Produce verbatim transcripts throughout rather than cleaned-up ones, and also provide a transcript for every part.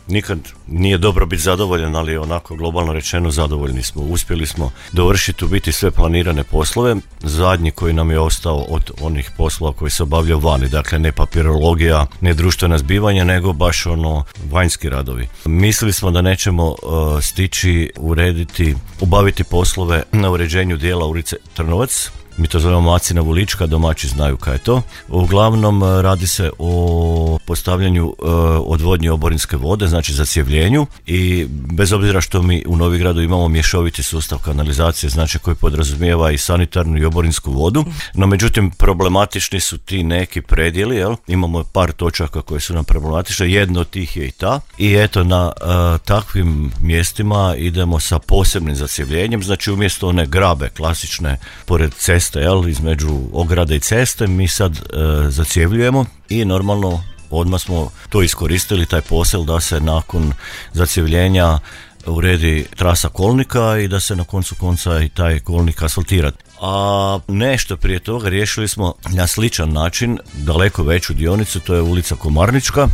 nikad nije dobro biti zadovoljan, ali onako globalno rečeno zadovoljni smo. Uspjeli smo dovršiti u biti sve planirane poslove. Zadnji koji nam je ostao od onih poslova koji se obavljaju vani, dakle ne papirologija, ne društvena zbivanja, nego baš ono vanjski radovi. Mislili smo da nećemo uh, stići urediti, obaviti poslove na uređenju dijela ulice Trnovac. Mi to zovemo Macina Vulička, domaći znaju kaj je to. Uglavnom radi se o postavljanju e, odvodnje oborinske vode, znači zacjevljenju, i bez obzira što mi u Novigradu imamo mješoviti sustav kanalizacije, znači koji podrazumijeva i sanitarnu i oborinsku vodu, no međutim problematični su ti neki predjeli, jel? Imamo par točaka koje su nam problematične, jedno od tih je i ta, i eto na e, takvim mjestima idemo sa posebnim zacjevljenjem, znači umjesto one grabe klasične pored ceste, jel, između ograde i ceste, mi sad e, zacjevljujemo i normalno odmah smo to iskoristili, taj posel, da se nakon zacjevljenja uredi trasa kolnika i da se na koncu konca i taj kolnik asfaltira. A nešto prije toga riješili smo na sličan način daleko veću dionicu, to je ulica Komarnička.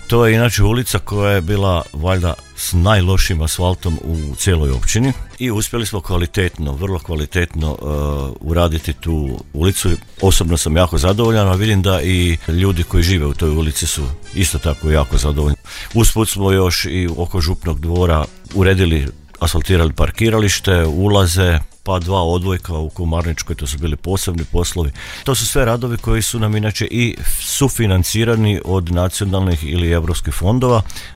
To je inače ulica koja je bila valjda s najlošim asfaltom u cijeloj općini i uspjeli smo kvalitetno, vrlo kvalitetno uh, uraditi tu ulicu. Osobno sam jako zadovoljan, a vidim da i ljudi koji žive u toj ulici su isto tako jako zadovoljni. Usput smo još i oko Župnog dvora uredili, asfaltirali parkiralište, ulaze, pa dva odvojka u Komarničkoj, to su bili posebni poslovi. To su sve radovi koji su nam inače i sufinancirani od nacionalnih ili europskih fondova,